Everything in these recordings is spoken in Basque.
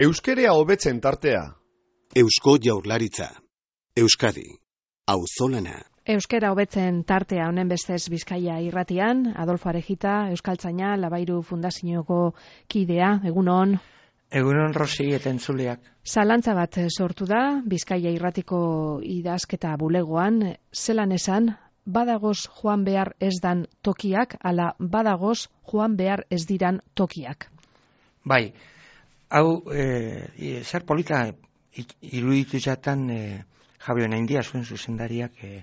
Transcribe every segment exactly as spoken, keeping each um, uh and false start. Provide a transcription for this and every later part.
Euskerea hobetzen tartea. Eusko Jaurlaritza. Euskadi. Auzolana. Euskera hobetzen tartea honen bestez Bizkaia irratian, Adolfo Arejita, Euskaltzaina, Labairu Fundazioko kidea, egunon. Egunon Rosi eta entzuleak. Zalantza bat sortu da, Bizkaia irratiko idazketa bulegoan, zelan esan, badagoz joan behar ez dan tokiak, ala badagoz joan behar ez diran tokiak. Bai, hau, e, zer polita iruditu jatan e, Javier Naindia zuen zuzendariak e,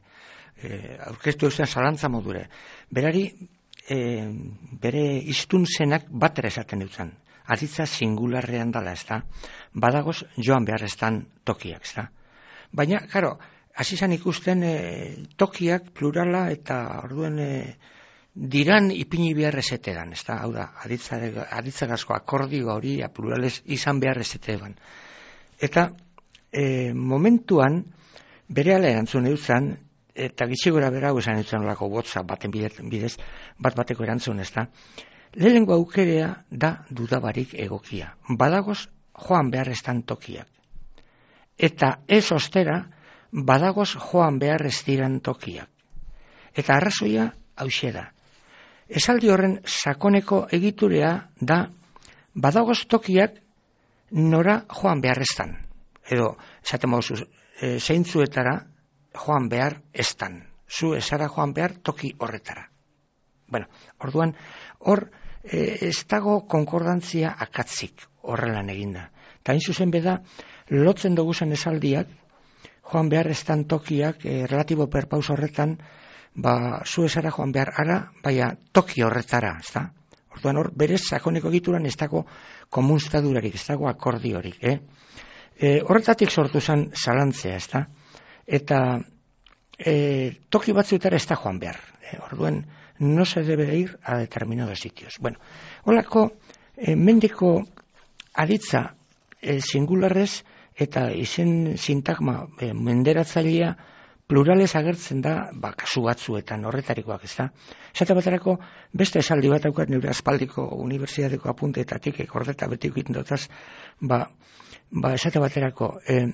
e, aurkeztu eusen zalantza modure. Berari, e, bere iztun zenak batera esaten dutzen. Aditza singularrean dala, ez da? Badagoz joan behar ez dan tokiak, ez da? Baina, karo, hasi zan ikusten e, tokiak plurala eta orduen e, diran ipini behar ezetedan, ez da? Hau da, aditzagazko akordio hori plurales izan behar ezetedan. Eta e, momentuan, bere ala erantzun eutzen, eta gitxigora bera hau esan eutzen olako WhatsApp baten bidez, bat bateko erantzun, ez da? Lehenengo aukerea da dudabarik egokia. Badagoz joan behar ez dan tokiak. Eta ez ostera, badagoz joan behar ez diran tokiak. Eta arrazoia hauxe da. Esaldi horren sakoneko egiturea da badagoz tokiak nora joan behar ez dan. Edo, esaten mauzu, e, zeintzuetara joan behar ez dan. Zu esara joan behar toki horretara. Bueno, orduan, hor e, ez dago konkordantzia akatzik horrelan eginda. Ta hain zuzen beda, lotzen duguzen esaldiak, joan behar ez dan tokiak, e, relatibo perpaus horretan, ba, zu esara joan behar ara, baina toki horretara, ez da? Orduan hor, berez sakoneko egituran ez dago komunstadurarik, ez dago akordiorik, eh? E, horretatik sortu zen zalantzea, ez da? Eta e, toki batzuetara ez da joan behar. E, orduan, no se debe ir a determinados sitios. Bueno, holako e, mendiko aditza e, singularrez eta izen sintagma e, menderatzailea plurales agertzen da, ba, kasu batzuetan horretarikoak, ez da? Esate baterako, beste esaldi bat daukat nire aspaldiko unibertsitateko apunteetatik, ekordeta betiko itendotaz, ba, ba, esate baterako, e,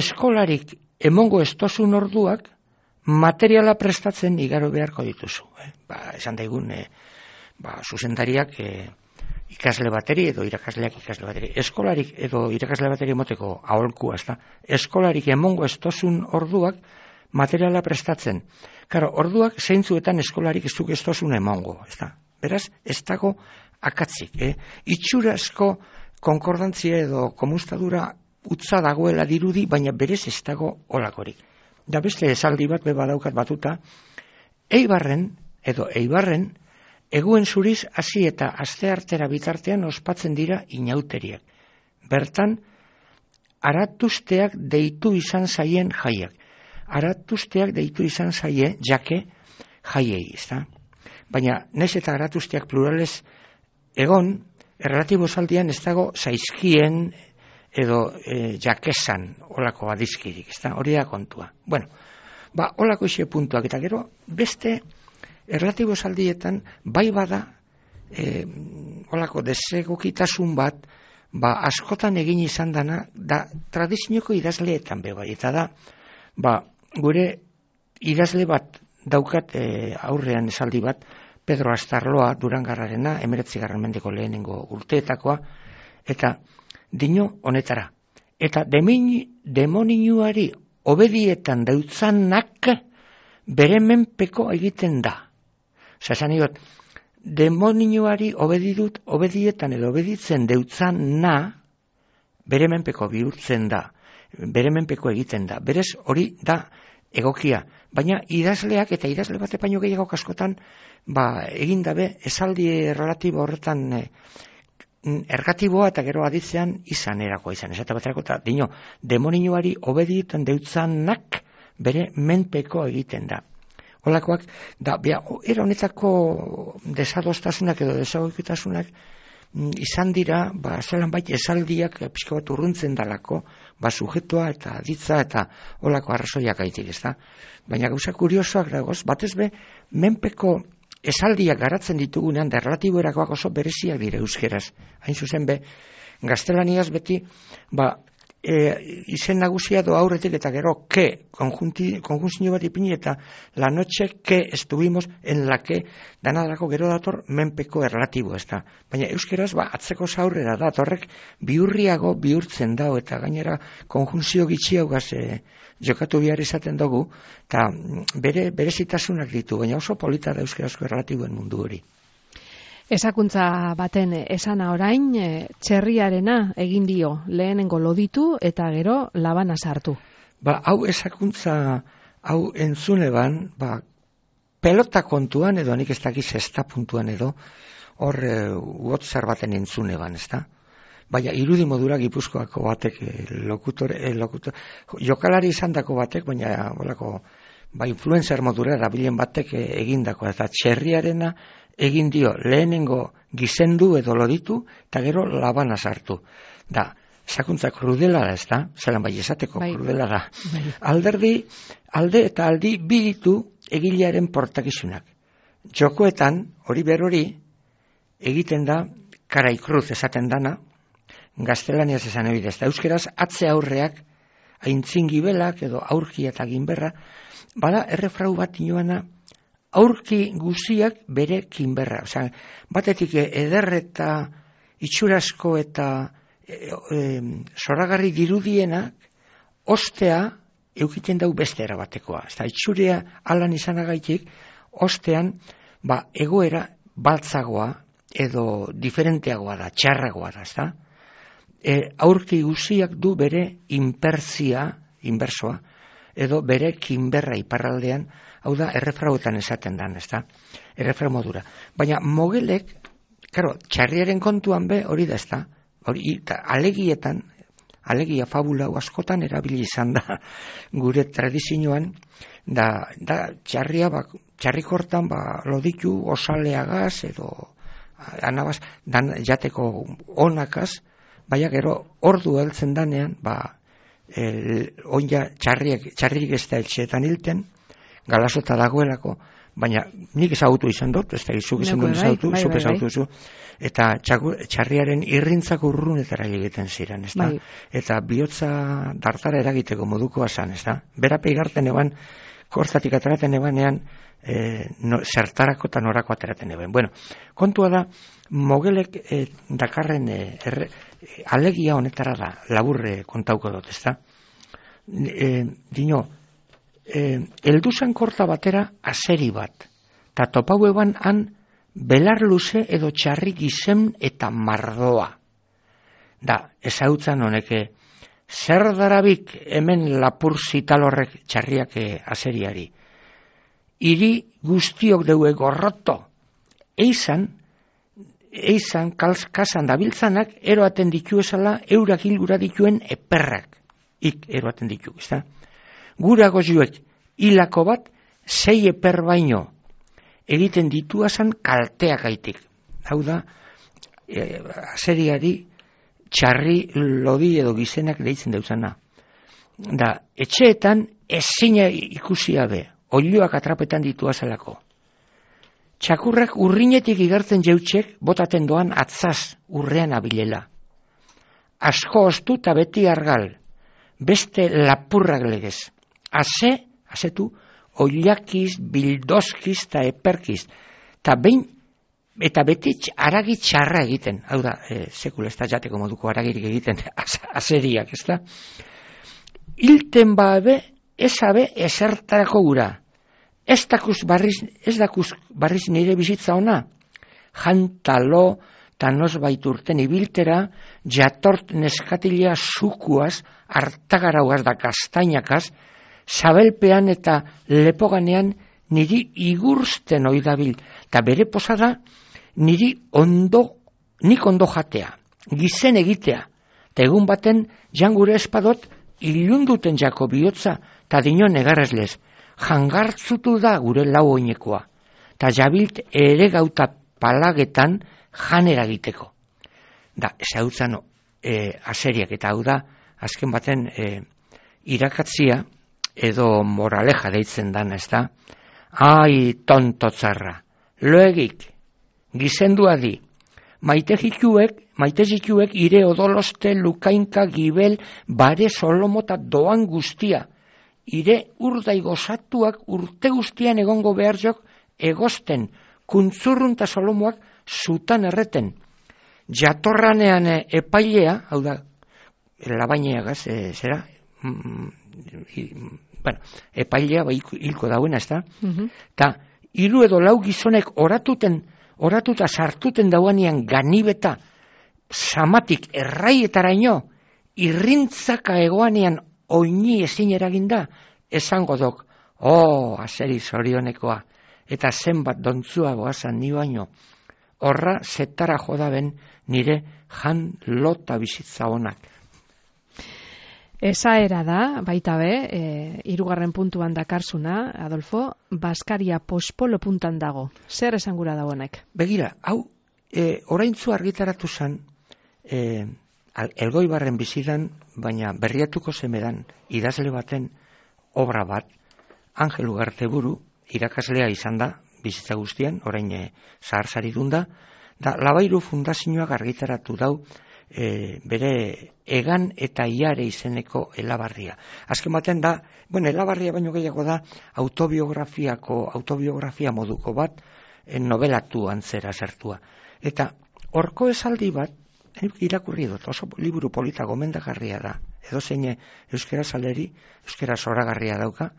eskolarik emongo estozun orduak, materiala prestatzen igaro beharko dituzu. Eh? Ba, esan daigun, eh, ba, zuzendariak eh, ikasle bateri edo irakasleak ikasle bateri. Eskolarik edo irakasle bateri moteko aholkua, ez da. Eskolarik emongo estozun orduak materiala prestatzen. Karo, orduak zeintzuetan eskolarik ez duk estozun emongo, ez da. Beraz, ez dago akatzik. Eh? Itxurazko konkordantzia edo komunstadura utza dagoela dirudi, baina berez ez dago olakorik. Da beste esaldi bat beba daukat batuta, Eibarren, edo Eibarren, eguen zuriz hasi eta asteartera bitartean ospatzen dira inauteriak. Bertan, aratuzteak deitu izan zaien jaiak. Aratuzteak deitu izan zaie, jake, jaiei, ez da? Baina, nez eta aratuzteak plurales egon, erlatibo esaldian ez dago zaizkien edo e, jakesan olako adizkirik, ez da, hori da kontua. Bueno, ba, olako ise puntuak, eta gero, beste erlatibo saldietan, bai bada, e, olako desegokitasun bat, ba, askotan egin izan dana, da, tradizioko idazleetan be bai, eta da, ba, gure idazle bat daukat e, aurrean esaldi bat, Pedro Astarloa, Durangarrarena, emeretzigarren mendeko lehenengo urteetakoa, eta dino honetara. Eta demoninuari obedietan dautzanak bere menpeko egiten da. Osa, esan iot, demoninuari obedidut, obedietan edo obeditzen deutzan na, bere menpeko bihurtzen da, bere menpeko egiten da. Berez hori da egokia. Baina idazleak eta idazle bate paino gehiago kaskotan, ba, egin dabe esaldi relatibo horretan e, ergatiboa eta gero aditzean izan erakoa izan. Esate baterako eta dino, demoninuari obedietan deutzanak bere menpeko egiten da. Holakoak, da, bea, era honetako desadostasunak edo desagokitasunak izan dira, ba, zelan bait esaldiak pixka bat urruntzen dalako, ba, sujetoa eta aditza eta holako arrazoiak gaitik, ez da? Baina gauza kuriosoak dagoz, batez be, menpeko esaldiak garatzen ditugunean, da relatibo erakoak oso bereziak dira euskeraz. Hain zuzen be, Gaztelaniaz beti, ba, e, izen nagusia do aurretik eta gero que, konjunzio bat ipini eta la noche que estuvimos en la que, danadako gero dator menpeko erlatibo ez da. Baina euskeraz, ba, atzeko zaurrera da, horrek bihurriago bihurtzen dao eta gainera konjunzio gitxiaugaz e, jokatu behar izaten dugu, eta bere, berezitasunak ditu, baina oso polita da euskerazko erlatiboen mundu hori. Esakuntza baten esana orain, txerriarena egin dio, lehenengo loditu eta gero labana sartu. Ba, hau esakuntza, hau entzuneban, ba, pelota kontuan edo nik ez dakiz ezta puntuan edo, hor e, uotzar baten entzuneban, ez da? Baina irudi modura Gipuzkoako batek, e, lokutor, e, lokutor, jokalari izan dako batek, baina bolako, ba, influencer modura dabilen batek e, egindako, eta txerriarena egin dio lehenengo gizendu edo loditu, eta gero labana sartu. Da, sakuntza krudela da, ez da? Zeran bai esateko bai. Krudela da. Bai. Alderdi, alde eta aldi biditu egilearen portakizunak. Jokoetan, hori berori, egiten da, karaikruz esaten dana, gaztelaniaz esan ebidez. Da, euskeraz, atze aurreak, aintzingibelak edo aurki eta ginberra, bada errefrau bat inoana, aurki guziak bere kinberra. Osea, batetik eder eta itxurasko eta e, e, zoragarri dirudienak ostea eukiten dau beste erabatekoa. Eta itxurea alan izanagaitik, ostean ba, egoera baltzagoa edo diferenteagoa da, txarragoa da. Ezta? E, aurki guziak du bere inpertzia, inbersoa, edo bere kinberra iparraldean, hau da, errefrauetan esaten dan, ez da? Errefrau modura. Baina mogelek, karo, txarriaren kontuan be, hori da, ez da? Hori, ta, alegietan, alegia fabula askotan erabili izan da, gure tradizioan, da, da txarria, ba, txarrikortan, ba, loditu osaleagaz, edo, anabaz, dan jateko onakaz, baina gero, ordu heltzen danean, ba, el, onja txarriek, txarririk ez da etxeetan hilten, galasota dagoelako, baina nik ezagutu izan dut, ez da izuk izan dut ezagutu, zuk ezagutu zu, eta txaku, txarriaren irrintzak urrunetara egiten ziren, ez da? Bai. Eta bihotza dartara eragiteko modukoa zan, ez da? Berape igarten eban, kortatik ateraten ebanean, e, no, zertarako eta norako ateraten eban. Bueno, kontua da, mogelek e, dakarren e, erre, e, alegia honetara da, laburre kontauko dut, ez da? E, dino, Eh, elduzan korta batera azeri bat, eta topau eban han belar luze edo txarri gizen eta mardoa. Da, ezautzan honeke, zer darabik hemen lapur zitalorrek txarriak azeriari. Iri guztiok deue gorroto, eizan, eizan kasan dabiltzanak eroaten ditu esala eurak hilgura dituen eperrak, ik eroaten ditu, ez da? Gura gozuek hilako bat sei eper baino egiten dituazan kalteak gaitik. Hau da, e, azeriari txarri lodi edo gizenak deitzen dauzana. Da, etxeetan ezina ikusia be, oiloak atrapetan dituazalako. Txakurrak urrinetik igartzen jeutxek botaten doan atzaz urrean abilela. Asko ostu eta beti argal, beste lapurrak legez. Aze, azetu, oilakiz, bildozkiz eta eperkiz. Ta behin, eta beti aragi txarra egiten. Hau da, e, sekula ez da jateko moduko aragirik egiten, azeriak, ez da? Hilten babe, ez abe, ezertarako gura. Ez dakuz barriz, ez dakuz barriz nire bizitza ona. Jantalo, eta nosbait urten ibiltera, jatort neskatilea sukuaz, hartagarauaz da kastainakaz, zabelpean eta lepoganean niri igursten oidabil, eta bere posada niri ondo, nik ondo jatea, gizen egitea, eta egun baten jangure espadot ilunduten jako bihotza, eta dino negarrezlez, jangartzutu da gure lau oinekoa, eta jabilt ere gauta palagetan janera egiteko. Da, ez hau zan e, azeriak, eta hau da, azken baten e, irakatzia, edo moraleja deitzen dan, ez da? Ai, tonto tzarra, loegik, gizendua di, maite jikuek, maite jikuek ire odoloste, lukainka, gibel, bare, solomota doan guztia. Ire urdai gozatuak urte guztian egongo behar jok egosten, kuntzurrunta solomoak zutan erreten. Jatorranean epailea, hau da, labaineagaz, e, zera, mm, i, bueno, epailea ba, hilko dauena, ez da? Uh-huh. Ta, hiru edo lau gizonek oratuten, oratuta sartuten dauanean ganibeta, samatik erraietaraino, irrintzaka egoanean oini ezin eraginda, esango dok, oh, azeri zorionekoa, eta zenbat dontzua goazan ni baino, horra zetara jodaben nire jan lota bizitza honak. Esaera da, baita be, e, hirugarren puntuan dakarzuna, Adolfo, Baskaria pospolo puntan dago. Zer esangura dagoenek? Begira, hau, e, oraintzu argitaratu zen, e, Elgoibarren bizidan, baina berriatuko zemedan idazle baten obra bat, Angel Ugarteburu, irakaslea izan da, bizitza guztian, orain e, zaharsari dunda, da Labairu Fundazioak argitaratu dau e, bere egan eta iare izeneko elabarria. Azken baten da, bueno, elabarria baino gehiago da, autobiografiako, autobiografia moduko bat, e, novelatu antzera zertua. Eta horko esaldi bat, irakurri dut, oso liburu polita gomendagarria da, edo zein euskera saleri, euskera zoragarria dauka,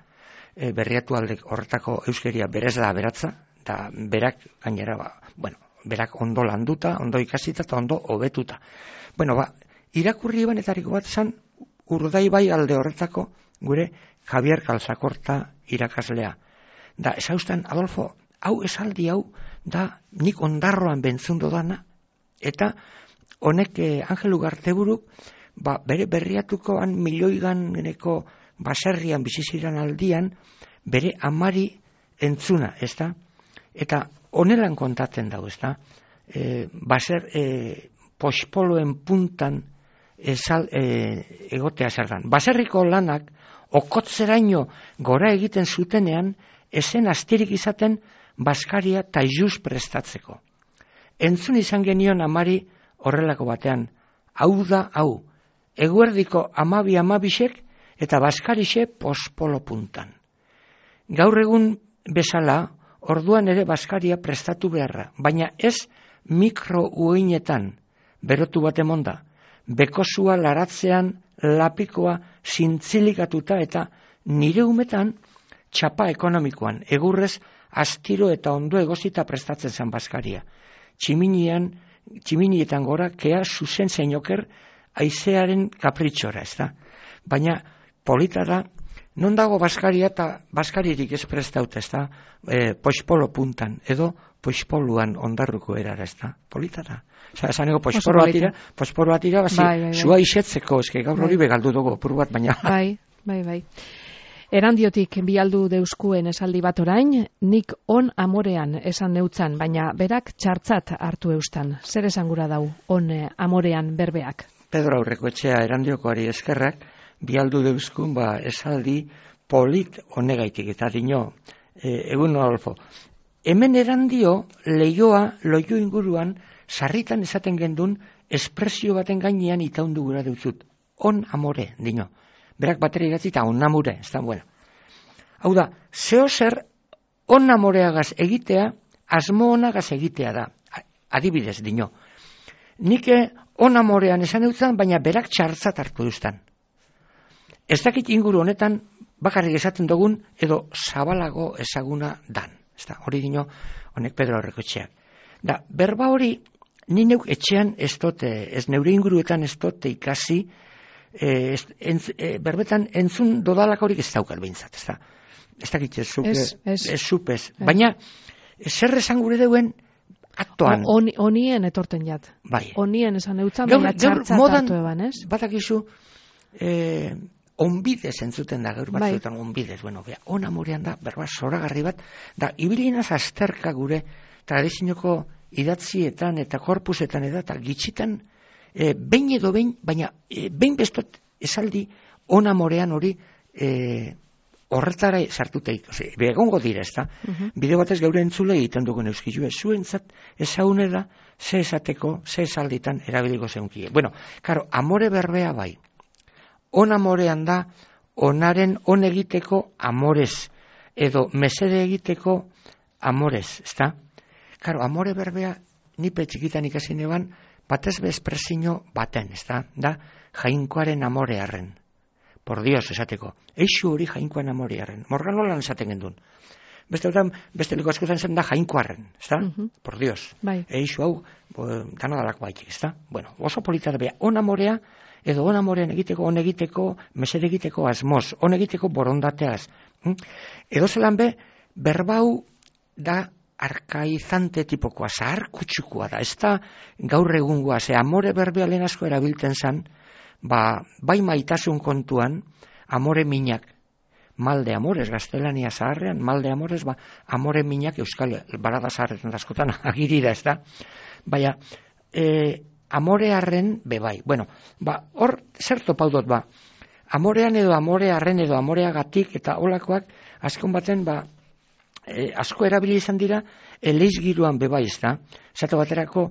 e, berriatu aldek horretako euskeria berez da beratza, da berak gainera, ba, bueno, berak ondo landuta, ondo ikasita eta ondo hobetuta. Bueno, ba, irakurri banetariko bat zan, Urdaibai alde horretako gure Javier Calzakorta irakaslea. Da, esaustan, Adolfo, hau esaldi hau, da nik ondarroan bentzundo dana, eta honek eh, Angel Ugarteburu, ba, bere berriatukoan milioiganeko baserrian biziziran aldian, bere amari entzuna, ez da? Eta honelan kontatzen dago, ez da? E, baser, e, pospoloen puntan esal, e, egotea zergan. Baserriko lanak, okotzeraino gora egiten zutenean, esen astirik izaten Baskaria taijuz prestatzeko. Entzun izan genion amari horrelako batean, hau da hau, eguerdiko amabi amabisek eta Baskarixe pospolo puntan. Gaur egun bezala, orduan ere Baskaria prestatu beharra, baina ez mikro ueinetan, berotu bat emonda, bekosua laratzean lapikoa zintzilikatuta eta nire umetan txapa ekonomikoan, egurrez astiro eta ondo egozita prestatzen zen Baskaria. Tximinian, tximinietan gora, kea zuzen zeinoker aizearen kapritxora, ez da? Baina polita da, non dago Baskaria eta Baskaririk ez prestaut, ez da? E, pospolo puntan, edo pospoluan ondarruko erara, ez da? Polita da. Osa, esanego pospolo atira, pospolo atira, bazi, bai, bai, bai. Zua isetzeko, eske gaur hori bai. Begaldu dugu, pur bat, baina. Bai, bai, bai. Erandiotik bialdu deuskuen esaldi bat orain, nik on amorean esan neutzan, baina berak txartzat hartu eustan. Zer esangura dau, on amorean berbeak? Pedro Aurreko etxea erandiokoari eskerrak, bialdu deuskun ba esaldi polit honegaitik, eta dino, e, egun Adolfo, hemen erandio leioa, loio inguruan, sarritan esaten gendun, espresio baten gainean itaundu gura deutzut. On amore, dino. Berak bateri idatzi eta on amore, ez da, bueno. Hau da, zeo zer on amoreagaz egitea, asmo onagaz egitea da. Adibidez, dino. Nik on amorean esan eutzen, baina berak txartzat hartu duztan. Ez dakit inguru honetan, bakarrik esaten dugun, edo zabalago ezaguna dan. Ez da, hori dino, honek Pedro Aurreko etxeak. Da, berba hori, ni neuk etxean ez dote, ez neure inguruetan ez dote ikasi, E, entz, e, berbetan entzun dodalakorik ez daukal behintzat, ez da. Ez dakit, ez zupe, ez, ez. ez zupez. Baina, zer esan gure deuen, aktoan. O, on, onien etorten jat. Bai. Onien esan eutzan, baina txartzat hartu eban, ez? Batakizu, eh, onbidez entzuten da, gaur batzuetan bai. Onbidez, bueno, bea, on amorean da, berba, zoragarri bat, da, ibilinaz azterka gure, tradizioko idatzietan eta korpusetan eta, eta gitxitan, E, behin edo behin, baina e, behin bestot esaldi on amorean hori e, horretara sartuteik, ose, begongo dira, ezta? Uh-huh. Bide batez geure entzule egiten dugun euskizue, zuentzat ezaune da, ze esateko, ze esalditan erabiliko zeunkie. Bueno, karo, amore berbea bai. On amorean da, onaren on egiteko amorez, edo mesede egiteko amorez, ezta? Karo, amore berbea, nipe txikitan ikasi neban, batez bezpresino baten, ezta? Da, jainkoaren amorearren. Por Dios, esateko. Eixu hori jainkoan amorearren. Morgan nolan esaten gendun. Beste otan, beste liko askotan zen da jainkoarren, ezta? Uh-huh. Por Dios. Bai. Eixu hau, dana dalako baitik, ezta? Bueno, oso polita da bea, on amorea, edo on amorean egiteko, on egiteko, mesede egiteko asmoz, on egiteko borondateaz. Hm? Edo zelan be, berbau da arkaizante tipokoa, zahar kutsukua da, ez da gaur egungoa, ze amore berbea lehen asko erabiltzen zan, ba, bai maitasun kontuan, amore minak, malde amores, gaztelania zaharrean, malde amores, ba, amore minak euskal barada zaharretan askotan agirira, ez da? Baina, e, amorearren bebai. Bueno, ba, hor, zer topaudot, ba, amorean edo amorearren edo amoreagatik eta olakoak, azkon baten, ba, e, asko erabili izan dira, eleizgiruan bebai, ez da? Zato baterako,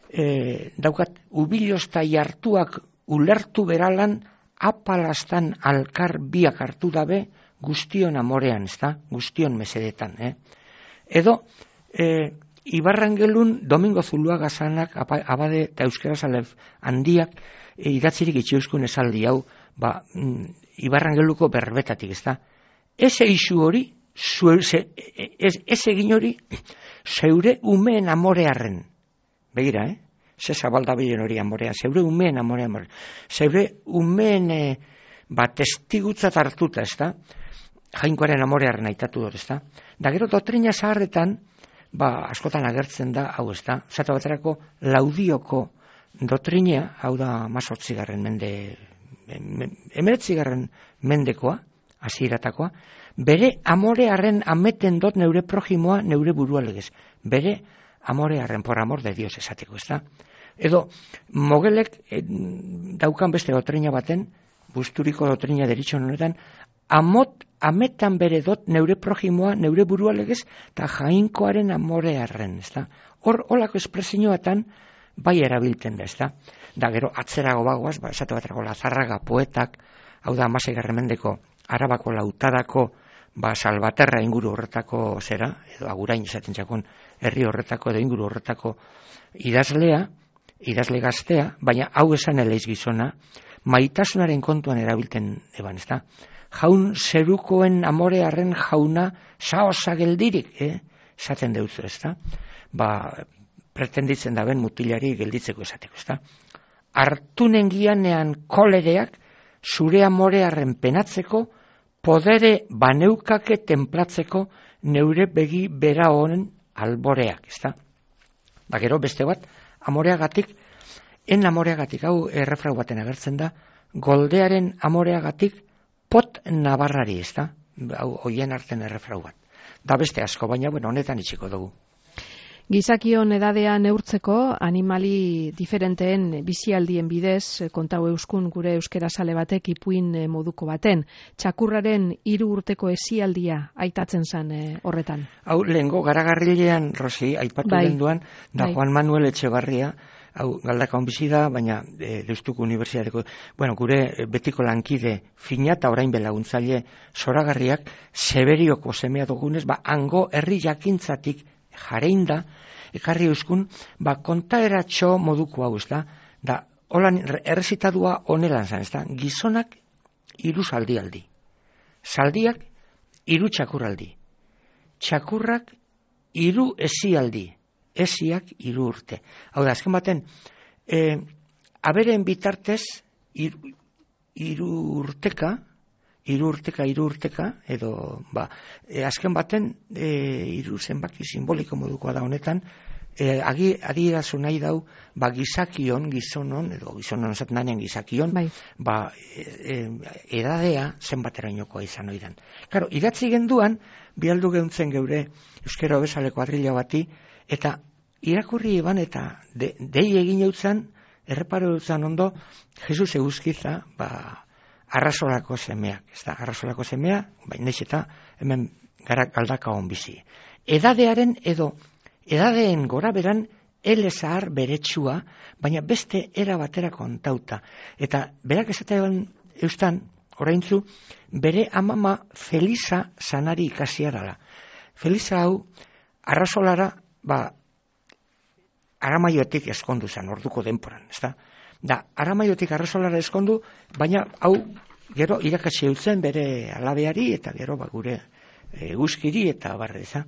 e, daukat, ubilozta jartuak ulertu beralan, apalastan alkar biak hartu dabe, guztion amorean, ez da? Guztion mesedetan, eh? Edo, e, Ibarrangelun Domingo Zuluaga zanak, abade eta euskera zalef handiak, e, idatzirik itxiuskun esaldi hau, ba, mm, Ibarrangeluko berbetatik, ez da? Eze isu hori, zue, ze, ez, ez egin hori, zeure umeen amorearren. Begira, eh? Ze zabalda bilen hori amorea, zeure umeen amorea, zeure umeen e, ba, testigutzat hartuta, ez da? Jainkoaren amorearen aitatu dut, ez da? Da gero doktrina zaharretan, ba, askotan agertzen da, hau ez da? Zata baterako, laudioko doktrina, hau da mazortzigarren mende, emeretzigarren mendekoa, hasieratakoa, bere amorearen ameten dot neure projimoa, neure burua legez. Bere amorearen, por amor de Dios esateko, ez da? Edo, mogelek eh, daukan beste doktrina baten, busturiko doktrina deritxon honetan, amot, ametan bere dot neure projimoa, neure burua legez, eta jainkoaren amorearren, ez da? Hor, holako espresioatan, bai erabiltzen da, ez da? Da, gero, atzerago bagoaz, ba, esate baterako Lazarraga poetak, hau da, amaseigarren mendeko, Arabako lautadako, ba, Salvaterra inguru horretako zera, edo Agurain esaten txakon, herri horretako edo inguru horretako idazlea, idazle gaztea, baina hau esan eleiz gizona, maitasunaren kontuan erabilten eban, ez da? Jaun zerukoen amorearen jauna saosa geldirik, eh? Esaten deutzu, ez da? Ba, pretenditzen da ben mutilari gelditzeko esateko, ez da? Artunen gianean kolereak zure amorearen penatzeko, podere baneukake templatzeko neure begi bera honen alboreak, ez da? Da gero beste bat, amoreagatik, en amoreagatik, hau errefrau baten agertzen da, goldearen amoreagatik pot nabarrari, ez da? Hau hoien arten errefrau bat. Da beste asko, baina, bueno, honetan itxiko dugu. Gizakion edadea neurtzeko animali diferenteen bizialdien bidez kontau euskun gure euskera sale batek ipuin moduko baten. Txakurraren hiru urteko esialdia aitatzen zen e, horretan. Hau lehengo garagarrilean, Rosi, aipatu bai, denduan, da bai. Juan Manuel Etxebarria, hau galdaka bizi da, baina e, Deustuko Unibertsitateko, bueno, gure betiko lankide fina eta orain belaguntzaile zoragarriak, Severioko semea dugunez, ba, hango herri jakintzatik jareinda, ekarri euskun, ba, kontaeratxo moduko hau, ez da, da, holan errezitadua honelan zan, ez da, gizonak hiru zaldialdi, zaldiak hiru txakurraldi, txakurrak hiru esialdi, esiak hiru urte. Hau da, azken baten, e, aberen bitartez, hiru urteka, hiru urteka, hiru urteka, edo, ba, e, azken baten, e, hiru zenbaki simboliko modukoa da honetan, e, agi, adierazu nahi dau, ba, gizakion, gizonon, edo gizonon esaten danean gizakion, bai. Ba, e, e, edadea zenbaterainokoa izan oidan. Karo, idatzi genduan, bialdu geuntzen geure euskera bezaleko adrila bati, eta irakurri eban eta de, dei egin eutzan, erreparo eutzan ondo, Jesus eguzkiza, ba, arrasolako semeak, ez da, arrasolako semea, baina eta hemen gara galdaka hon bizi. Edadearen edo, edadeen gora beran, ele zahar beretsua, baina beste era batera kontauta. Eta berak esatean eustan, oraintzu, bere amama Felisa sanari ikasia dela. Felisa hau, arrasolara, ba, Aramaiotik eskondu zen, orduko denporan, ez da? Da, Aramaiotik arrasolara eskondu, baina hau, gero, irakatsi eutzen bere alabeari, eta gero, ba, gure e, guzkiri, eta barre, ez da?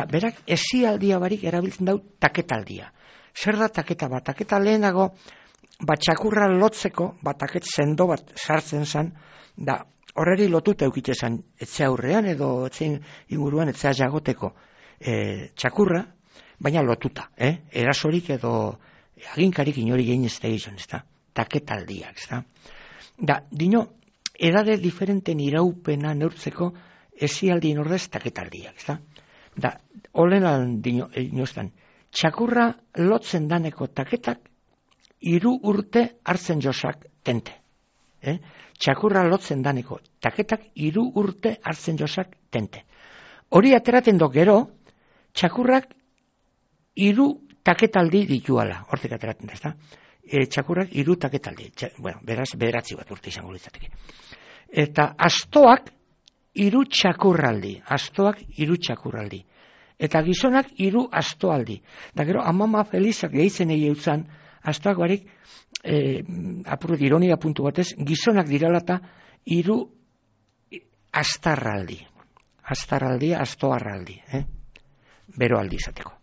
Da, berak, esialdia barik erabiltzen dau taketaldia. Zer da taketa bat? Taketa lehenago, bat txakurra lotzeko, bat taket sendo bat sartzen zen, da, horreri lotuta eukite zen, etxe aurrean, edo etxein inguruan, etxea jagoteko e, txakurra, baina lotuta, eh? Erasorik edo aginkarik inori gehin ez da izan, ez da? Taketaldiak, ez da? Da, dino, edade diferenten iraupena neurtzeko esialdien ordez taketaldiak, ez da? Da, olenan dino, inoztan, txakurra lotzen daneko taketak hiru urte hartzen josak tente. Eh? Txakurra lotzen daneko taketak hiru urte hartzen josak tente. Hori ateraten do gero, txakurrak hiru taketaldi dituala, hortik ateratzen da, ezta? E, txakurrak hiru taketaldi, Txa, bueno, beraz, bederatzi bat urte izango litzateke. Eta astoak hiru txakurraldi, astoak hiru txakurraldi. Eta gizonak hiru astoaldi. Da gero, amama Felizak gehitzen egi eutzan, astoak barik, e, apurret ironia puntu batez, gizonak diralata hiru astarraldi. Astarraldi, astoarraldi, eh? Bero aldi izateko.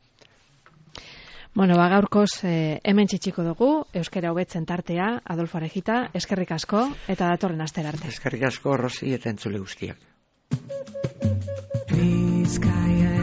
Bueno, ba, gaurkoz eh, hemen txitxiko dugu, euskara hobetzen tartea, Adolfo Arejita, eskerrik asko, eta datorren astera arte. Eskerrik asko, Rosi, eta entzule guztiak. Bizkaia